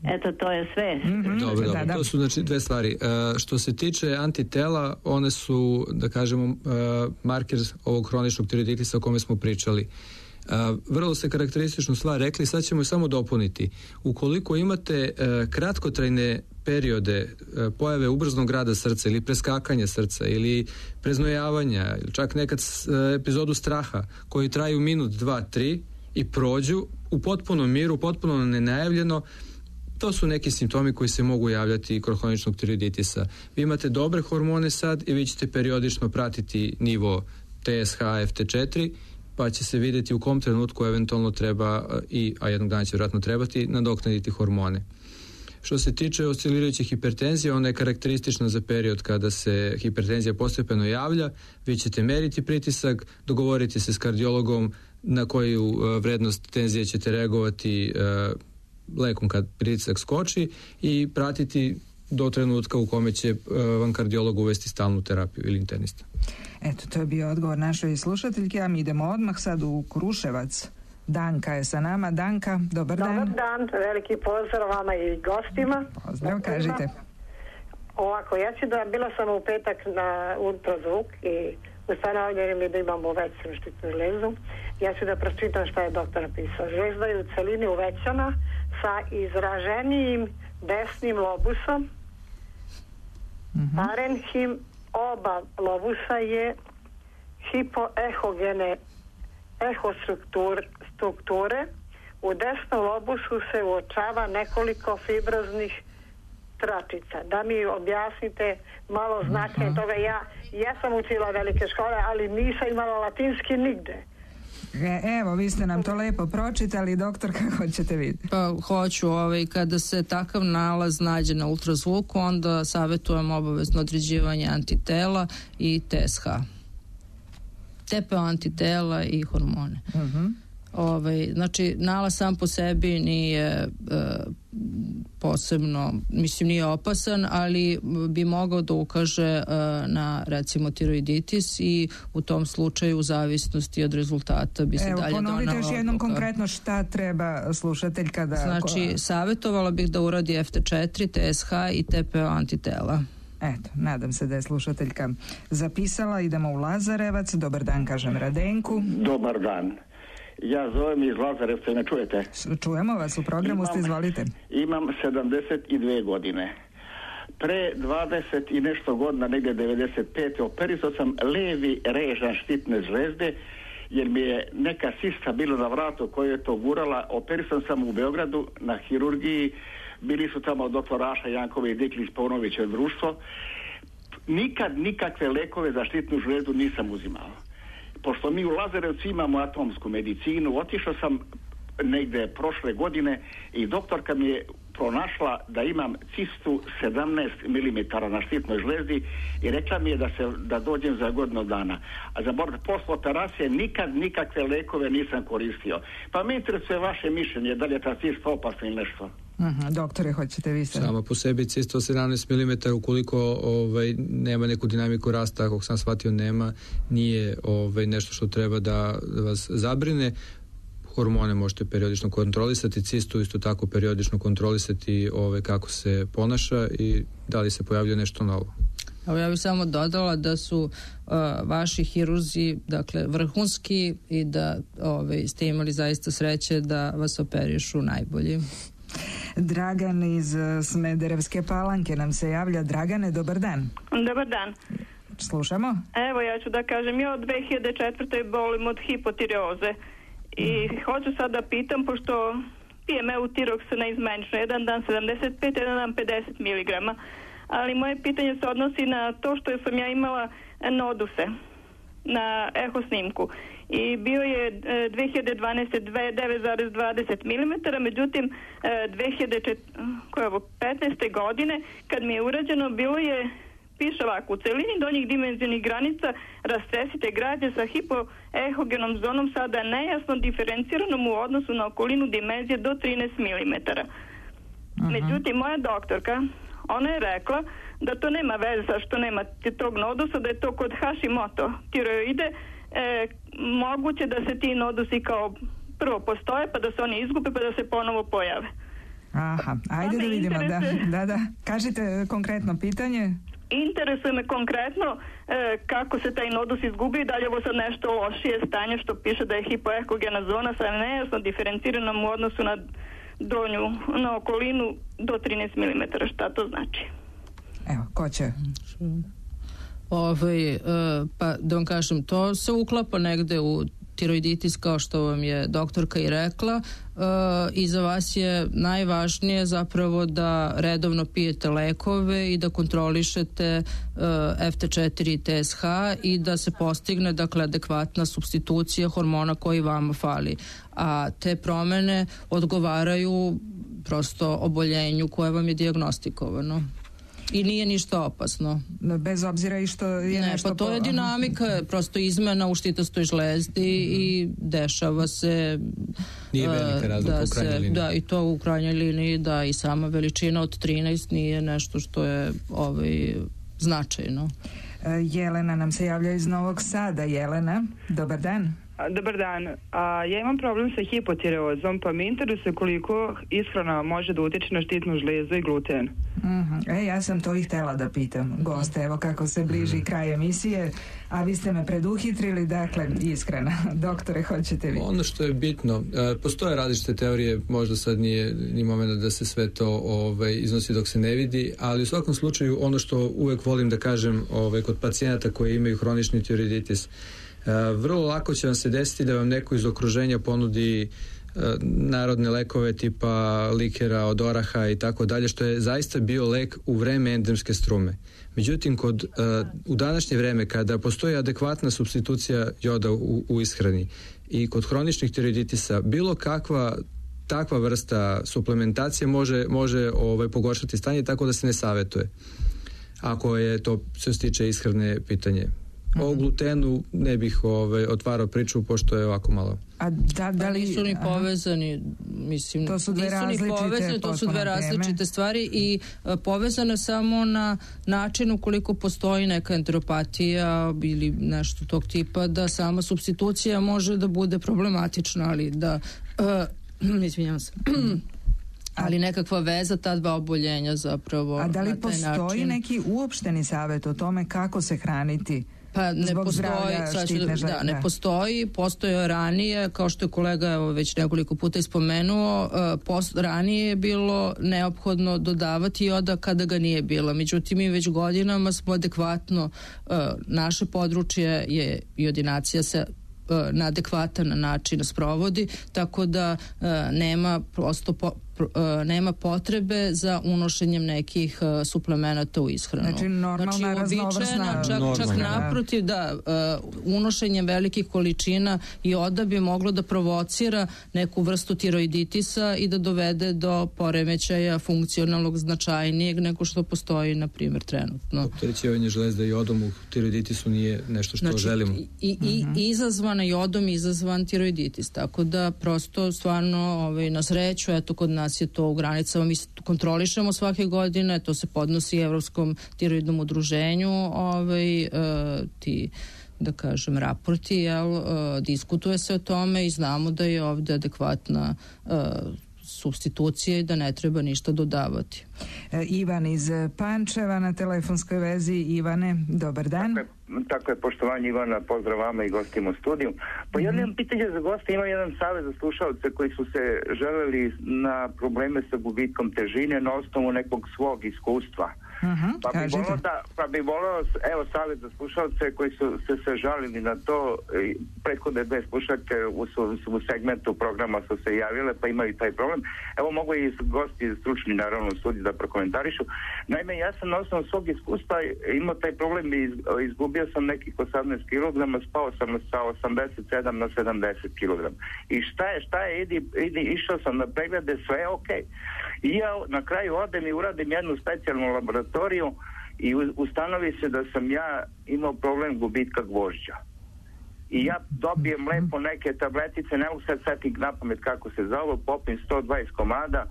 Eto, to je sve. Mm-hmm. Dobro, dobro. Da, da. To su znači dve stvari. E, što se tiče antitela, one su, da kažemo, e, marker ovog hroničnog tiroiditisa o kome smo pričali. Vrlo ste karakterističnu stvar rekli, sad ćemo je samo dopuniti. Ukoliko imate kratkotrajne periode pojave ubrznog rada srca ili preskakanja srca ili preznojavanja ili čak nekad epizodu straha koji traju minut, dva, tri i prođu u potpunom miru, potpuno nenajavljeno, to su neki simptomi koji se mogu javljati kod hroničnog tiroiditisa. Vi imate dobre hormone sad i vi ćete periodično pratiti nivo T S H, F T četiri, pa će se vidjeti u kom trenutku eventualno treba, i, a jednog dana će vjerojatno trebati, nadoknaditi hormone. Što se tiče oscilirajuće hipertenzije, ona je karakteristična za period kada se hipertenzija postepeno javlja. Vi ćete meriti pritisak, dogovoriti se s kardiologom na koju vrednost tenzije ćete reagovati lekom kad pritisak skoči i pratiti do trenutka u kome će vam kardiolog uvesti stalnu terapiju ili internista. Eto, to je bio odgovor našoj slušateljke, a mi idemo odmah sad u Kruševac. Danka je sa nama. Danka, dobar dan. Dobar dan, veliki pozdrav vama i gostima. Pozdrav, kažite. Ovako, ja ću da, bila sam u petak na ultrazvuk i ustanovljeni mi da imamo uvećanu štitnu žlezu. Ja ću da pročitam šta je doktor napisao. Žlezda je u celini uvećana sa izraženijim desnim lobusom. Mm-hmm. Parenhim oba lobusa je hipoehogene ehostrukture. U desnom lobusu se uočava nekoliko fibroznih tračica. Da mi objasnite malo značenje uh-huh. toga. Ja, ja sam učila velike škole, ali nisam imala latinski nigde. E, evo, vi ste nam to lepo pročitali, doktor, kako ćete vidjeti? Pa hoću, ovaj, kada se takav nalaz nađe na ultrazvuku, onda savjetujem obavezno određivanje antitela i T S H. T P O antitela i hormone. Uh-huh. Ovaj, znači, nalaz sam po sebi nije e, posebno, mislim, nije opasan, ali bi mogao da ukaže e, na, recimo, tiroiditis i u tom slučaju u zavisnosti od rezultata bi se Evo, dalje donala. Evo, ponovite još jednom odluka. Konkretno šta treba slušateljka da... Znači, savjetovala bih da uradi F T četiri, T S H i T P O antitela. Eto, nadam se da je slušateljka zapisala. Idemo u Lazarevac. Dobar dan, kažem Radenku. Dobar dan. Ja zovem iz Lazarevca, ne čujete? Čujemo vas, u programu imam, ste, izvolite. Imam sedamdeset dvije godine. Pre dvadeset i nešto godina, negdje devedeset pete operisao sam levi režan štitne žlezde, jer mi je neka sista bila na vratu koju je to gurala. Operisao sam u Beogradu na hirurgiji. Bili su tamo doktoraša Jankove i Diklić Paunovića društvo. Nikad nikakve lekove za štitnu žlezdu nisam uzimao. Pošto mi u Lazarevcu imamo atomsku medicinu, otišao sam negde prošle godine i doktorka mi je pronašla da imam cistu sedamnaest milimetara na štitnoj žlezdi i rekla mi je da se da dođem za godinu dana. A za posle operacije nikad nikakve lekove nisam koristio. Pa me interesuje vaše mišljenje, da li je ta cista opasna ili nešto? Aha, doktore, hoćete vi sad? Samo po sebi cista sedamnaest milimetara, ukoliko ovaj, nema neku dinamiku rasta, ako sam shvatio nema, nije ovaj, nešto što treba da, da vas zabrine. Hormone možete periodično kontrolisati, cistu isto tako periodično kontrolisati ove, kako se ponaša i da li se pojavlja nešto novo. Evo, ja bih samo dodala da su uh, vaši hirurzi, dakle, vrhunski i da ove, ste imali zaista sreće da vas operišu najbolji. Dragan iz Smederevske Palanke nam se javlja. Dragane, dobar dan. Dobar dan. Slušamo. Evo, ja ću da kažem, ja od dve hiljade četvrte bolim od hipotireoze. I hoću sad da pitam, pošto pijem Eutirox neizmenično, jedan dan sedamdeset pet, jedan dan pedeset miligrama, ali moje pitanje se odnosi na to što sam ja imala noduse na eho snimku i bio je dve hiljade dvanaeste. devet zarez dvadeset milimetara, međutim dve hiljade petnaeste. godine kad mi je urađeno bilo je, piše ovako, u celini donjih dimenzionih granica rastresite građe sa hipoehogenom zonom sada nejasno diferenciranom u odnosu na okolinu dimenzije do trinaest milimetara. Uh-huh. Međutim, moja doktorka, ona je rekla da to nema veze sa što nema tog nodusa, da je to kod Hashimoto tiroide e, moguće da se ti nodusi kao prvo postoje, pa da se oni izgube, pa da se ponovo pojave. Aha, ajde da vidimo. Da, da, da. Kažite konkretno pitanje. interesuje me konkretno e, kako se taj nodus izgubi i da li je ovo sad nešto lošije stanje što piše da je hipoekogena zona sa nejasno diferenciranom u odnosu na donju, na okolinu do trinaest milimetara. Šta to znači? Evo, ko će? Ovaj, e, pa da vam kažem, to se uklapa negde u tiroiditis, kao što vam je doktorka i rekla, e, i za vas je najvažnije zapravo da redovno pijete lekove i da kontrolišete e, F T četiri i T S H i da se postigne, dakle, adekvatna supstitucija hormona koji vama fali. A te promene odgovaraju prosto oboljenju koje vam je dijagnostikovano. I nije ništa opasno. Bez obzira i što je ne, nešto... Pa to je dinamika, prosto izmena u štitastoj žlezdi mm-hmm. i dešava se... Nije velika razlika da u krajnjoj liniji. Da, i to u krajnjoj liniji, da, i sama veličina od trinaest nije nešto što je ovaj, značajno. Jelena nam se javlja iz Novog Sada. Jelena, dobar dan. Dobar dan. A, ja imam problem sa hipotireozom, pa me interesuje koliko ishrana može da utiče na štitnu žlezu i gluten. Mm-hmm. E, ja sam to i htela da pitam. Goste, evo kako se bliži mm. kraj emisije, a vi ste me preduhitrili, dakle, ishrana. Doktore, hoćete vi? Ono što je bitno, postoje različite teorije, možda sad nije ni momenta da se sve to ovaj, iznosi dok se ne vidi, ali u svakom slučaju ono što uvek volim da kažem ovaj, kod pacijenata koji imaju hronični tiroiditis, Uh, vrlo lako će vam se desiti da vam neko iz okruženja ponudi uh, narodne lekove tipa likera od oraha i tako dalje, što je zaista bio lek u vreme endemske strume. Međutim, kod, uh, u današnje vreme kada postoji adekvatna supstitucija joda u, u ishrani i kod hroničnih tiroiditisa, bilo kakva takva vrsta suplementacije može, može ovaj, pogoršati stanje, tako da se ne savetuje. Ako je to se stiče ishrane pitanje. O glutenu ne bih ovaj, otvarao priču, pošto je ovako malo. A da, da li... nisu ni povezani, mislim, to su dve različite, povezani, to su dve različite teme. Stvari i a, povezane samo na način ukoliko postoji neka enteropatija ili nešto tog tipa, da sama supstitucija može da bude problematična, ali da, a, izvinjam se, ali nekakva veza ta dva oboljenja zapravo. A da li na taj postoji način... neki uopšteni savjet o tome kako se hraniti? Pa ne postoji, da, da, ne postoji, postoje ranije, kao što je kolega evo, već nekoliko puta ispomenuo, uh, post, ranije je bilo neophodno dodavati joda kada ga nije bilo. Međutim, mi već godinama smo adekvatno, uh, naše područje je jodinacija se uh, na adekvatan način sprovodi, tako da uh, nema prosto po, Uh, nema potrebe za unošenjem nekih uh, suplemenata u ishranu. Znači normalna, znači, raznovrsna. Čak, normalna, čak naprotiv, da, uh, unošenjem velikih količina joda bi moglo da provocira neku vrstu tiroiditisa i da dovede do poremećaja funkcionalnog značajnijeg nego što postoji, na primjer, trenutno. Opterećivanje žlezde jodom u tiroiditisu nije nešto što znači, želimo. I, i, uh-huh. izazvana jodom, izazvan tiroiditis. Tako da, prosto, stvarno, ovaj, na sreću, eto, kod nas je to u granicama, mi kontrolišemo svake godine, to se podnosi Evropskom tiroidnom udruženju, ovaj, uh, ti, da kažem, raporti, jel, uh, diskutuje se o tome i znamo da je ovde adekvatna uh, supstitucija i da ne treba ništa dodavati. E, Ivan iz Pančeva na telefonskoj vezi. Ivane, dobar dan. Tako je, tako je poštovanje Ivana, pozdrav vama i gostima u studiju. Pa mm-hmm. jedno pitanje za goste, ima jedan savjet za slušalce koji su se želeli na probleme sa gubitkom težine na osnovu nekog svog iskustva. Uh-huh, pa, bi volao da, pa bi volao, evo savjet za slušalce koji su se, se žalili na to, prethodne dve slušalke u, u segmentu programa su se javile pa imaju taj problem. Evo mogu i gosti stručni naravno u studiju da prokomentarišu. Naime, ja sam na osnovu svog iskustva imao taj problem i iz, izgubio sam nekih osamnaest kilograma, spao sam sa osamdeset sedam na sedamdeset kilograma. I šta je, šta je, idi, idi, išao sam na preglede, sve je okej. I ja na kraju odem i uradim jednu specijalnu laboratoriju i ustanovi se da sam ja imao problem gubitka gvožđa. I ja dobijem lepo neke tabletice, ne mogu sad setiti na pamet kako se zove, popim sto dvadeset komada,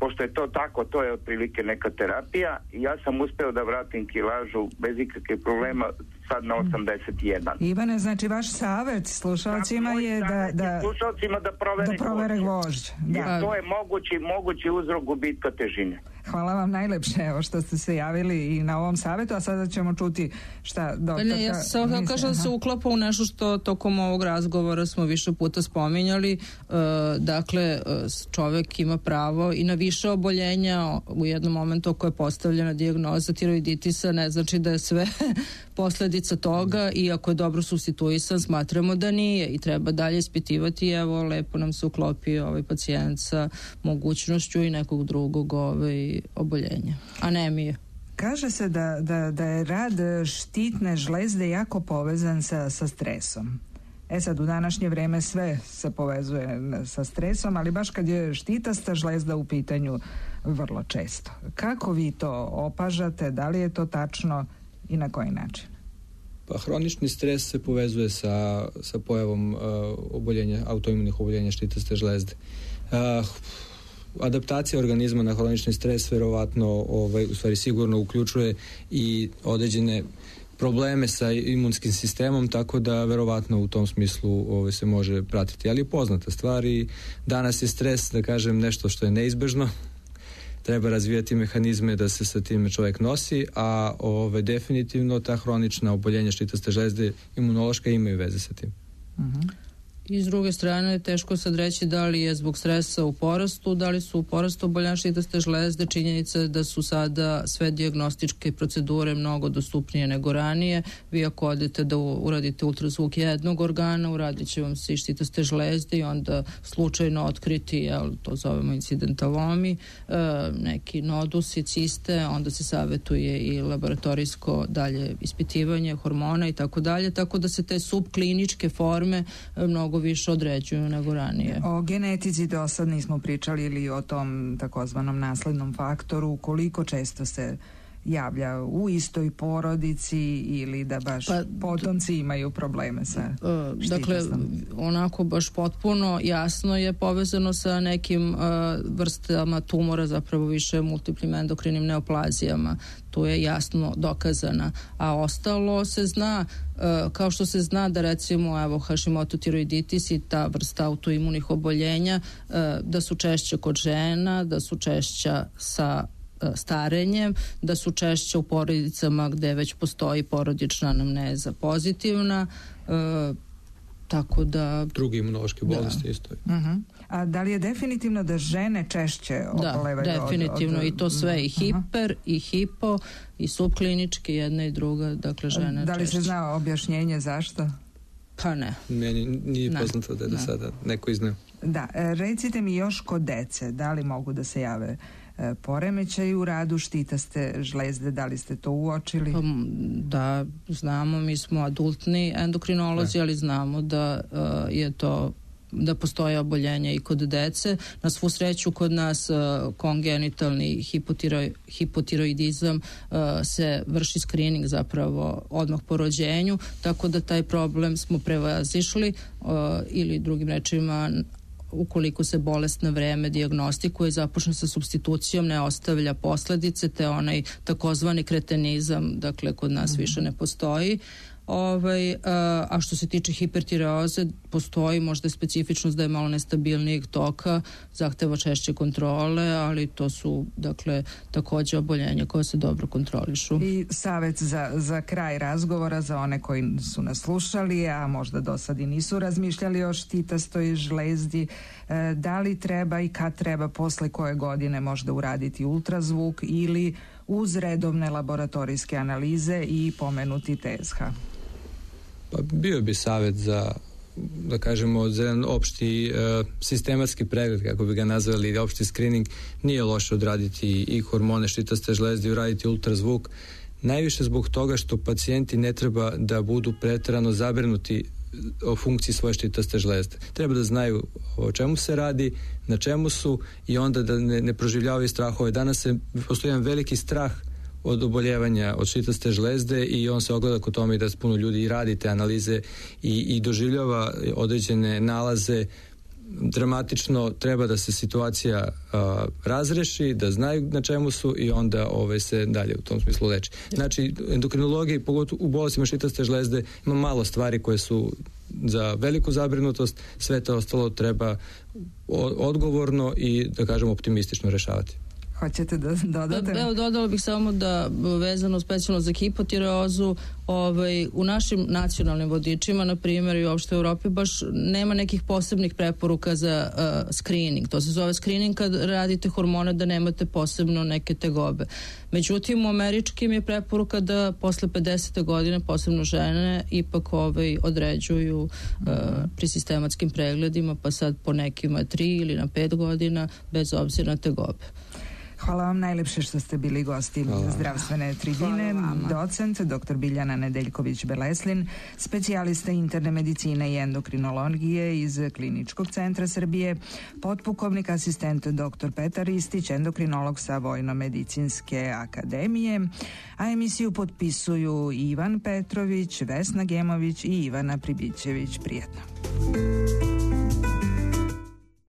pošto je to tako, to je otprilike neka terapija i ja sam uspeo da vratim kilažu bez ikakve problema, sad na osamdeset jedan. Ivane, znači vaš savjet slušalcima je da, da, slušalcima da provere, da provere gvožđ. Da. Jer to je mogući, mogući uzrok gubitka težine. Hvala vam najlepše evo što ste se javili i na ovom savjetu, a sada ćemo čuti šta doktorka... Ne, ja sam misle, kažem da se uklapa u nešto što tokom ovog razgovora smo više puta spominjali. E, dakle, čovjek ima pravo i na više oboljenja. U jednom momentu ako je postavljena dijagnoza tiroiditisa, ne znači da je sve posljedica toga i ako je dobro supstituisan, smatramo da nije i treba dalje ispitivati. Evo, lepo nam se uklopio ovaj pacijent sa mogućnošću i nekog drugog ovaj oboljenja. Anemije. Kaže se da, da, da je rad štitne žlezde jako povezan sa, sa stresom. E sad, u današnje vrijeme sve se povezuje sa stresom, ali baš kad je štitasta žlezda u pitanju vrlo često. Kako vi to opažate? Da li je to tačno i na koji način? Pa hronični stres se povezuje sa, sa pojavom uh, oboljenja, autoimunih oboljenja štitaste žlezde. Uh, adaptacija organizma na hronični stres verovatno, ovaj, u stvari sigurno uključuje i određene probleme sa imunskim sistemom, tako da verovatno u tom smislu ovaj, se može pratiti. Ali je poznata stvar i danas je stres, da kažem, nešto što je neizbežno. Treba razvijati mehanizme da se sa time čovjek nosi, a ove, definitivno ta hronična oboljenja štitaste žlezde imunološka imaju veze sa tim. Uh-huh. I s druge strane je teško sad reći da li je zbog stresa u porastu, da li su u porastu oboljenja štitaste žlezde. Činjenica je da su sada sve dijagnostičke procedure mnogo dostupnije nego ranije. Vi ako odete da uradite ultrazvuk jednog organa, uradit će vam se i štitaste žlezde i onda slučajno otkriti, jel, to zovemo incidentalomi, e, neki nodusi, ciste, onda se savjetuje i laboratorijsko dalje ispitivanje hormona i tako dalje, tako da se te subkliničke forme mnogo više određuju nego ranije. O genetici do sad nismo pričali ili o tom takozvanom naslednom faktoru, koliko često se javlja u istoj porodici ili da baš pa, potomci imaju probleme sa uh, dakle, onako baš potpuno jasno je povezano sa nekim uh, vrstama tumora, zapravo više multiplim endokrinim neoplazijama. Tu je jasno dokazana, a ostalo se zna, uh, kao što se zna da recimo evo Hashimoto tiroiditis i ta vrsta autoimunih oboljenja uh, da su češće kod žena, da su češća sa starenjem, da su češće u porodicama gde već postoji porodična anamneza pozitivna, e, tako da... Drugi imunološke bolesti da. Isto. Uh-huh. A da li je definitivno da žene češće obolevaju? Da, definitivno od, od... i to sve i hiper uh-huh. i hipo i subklinički, jedna i druga, dakle žene da li češće. Se zna objašnjenje zašto? Pa ne. Meni nije ne. poznato da je do sada neko izneo. Da, recite mi još kod dece, da li mogu da se jave poremećaj u radu štitaste žlezde, da li ste to uočili? Da, znamo, mi smo adultni endokrinolozi, ne. ali znamo da uh, je to da postoje oboljenja i kod dece. Na svu sreću kod nas uh, kongenitalni hipotiroi, hipotiroidizam uh, se vrši screening zapravo odmah po rođenju, tako da taj problem smo prevazišli uh, ili drugim rečima ukoliko se bolest na vreme dijagnostikuje i započne sa supstitucijom, ne ostavlja posledice, te onaj takozvani kretenizam, dakle, kod nas mm-hmm. više ne postoji. Ovaj, a, a što se tiče hipertireoze, postoji možda specifičnost da je malo nestabilnijeg toka, zahteva češće kontrole, ali to su, dakle, također oboljenja koje se dobro kontrolišu. I savjet za, za kraj razgovora za one koji su nas slušali, a možda do sad i nisu razmišljali o štitastoj žlezdi, e, da li treba i kad treba, posle koje godine možda uraditi ultrazvuk ili uz redovne laboratorijske analize i pomenuti T S H? Pa bio bi savjet za, da kažemo, za jedan opšti e, sistematski pregled, kako bi ga nazvali, opšti screening. Nije loše odraditi i hormone štitaste žlezde i uraditi ultrazvuk. Najviše zbog toga što pacijenti ne treba da budu preterano zabrinuti o funkciji svoje štitaste žlezde. Treba da znaju o čemu se radi, na čemu su i onda da ne, ne proživljavaju strahove. Danas se postoji jedan veliki strah od oboljevanja od štitaste žlezde i on se ogleda kod tome da puno ljudi i radi te analize i, i doživljava određene nalaze dramatično treba da se situacija a, razreši, da znaju na čemu su i onda ove, se dalje u tom smislu leči. Znači, endokrinologiji, pogotovo u bolestima žitaste žlezde, ima malo stvari koje su za veliku zabrinutost, sve to ostalo treba odgovorno i, da kažem, optimistično rešavati. Hoćete da dodate? Evo, dodala bih samo da, vezano specijalno za hipotireozu, ovaj, u našim nacionalnim vodičima, na primjer i uopšte u Europi, baš nema nekih posebnih preporuka za uh, screening. To se zove screening kad radite hormone da nemate posebno neke tegobe. Međutim, u američkim je preporuka da posle pedesete godine, posebno žene, ipak ovaj, određuju uh, pri sistematskim pregledima, pa sad po nekima tri ili na pet godina, bez obzira na tegobe. Hvala vam najlepše što ste bili gosti Hvala. Zdravstvene tribine. Docent doktor Biljana Nedeljković-Beleslin, specijalista interne medicine i endokrinologije iz Kliničkog centra Srbije, potpukovnik asistent doktor Petar Ristić, endokrinolog sa Vojno-medicinske akademije, a emisiju potpisuju Ivan Petrović, Vesna Gemović i Ivana Pribićević. Prijetno.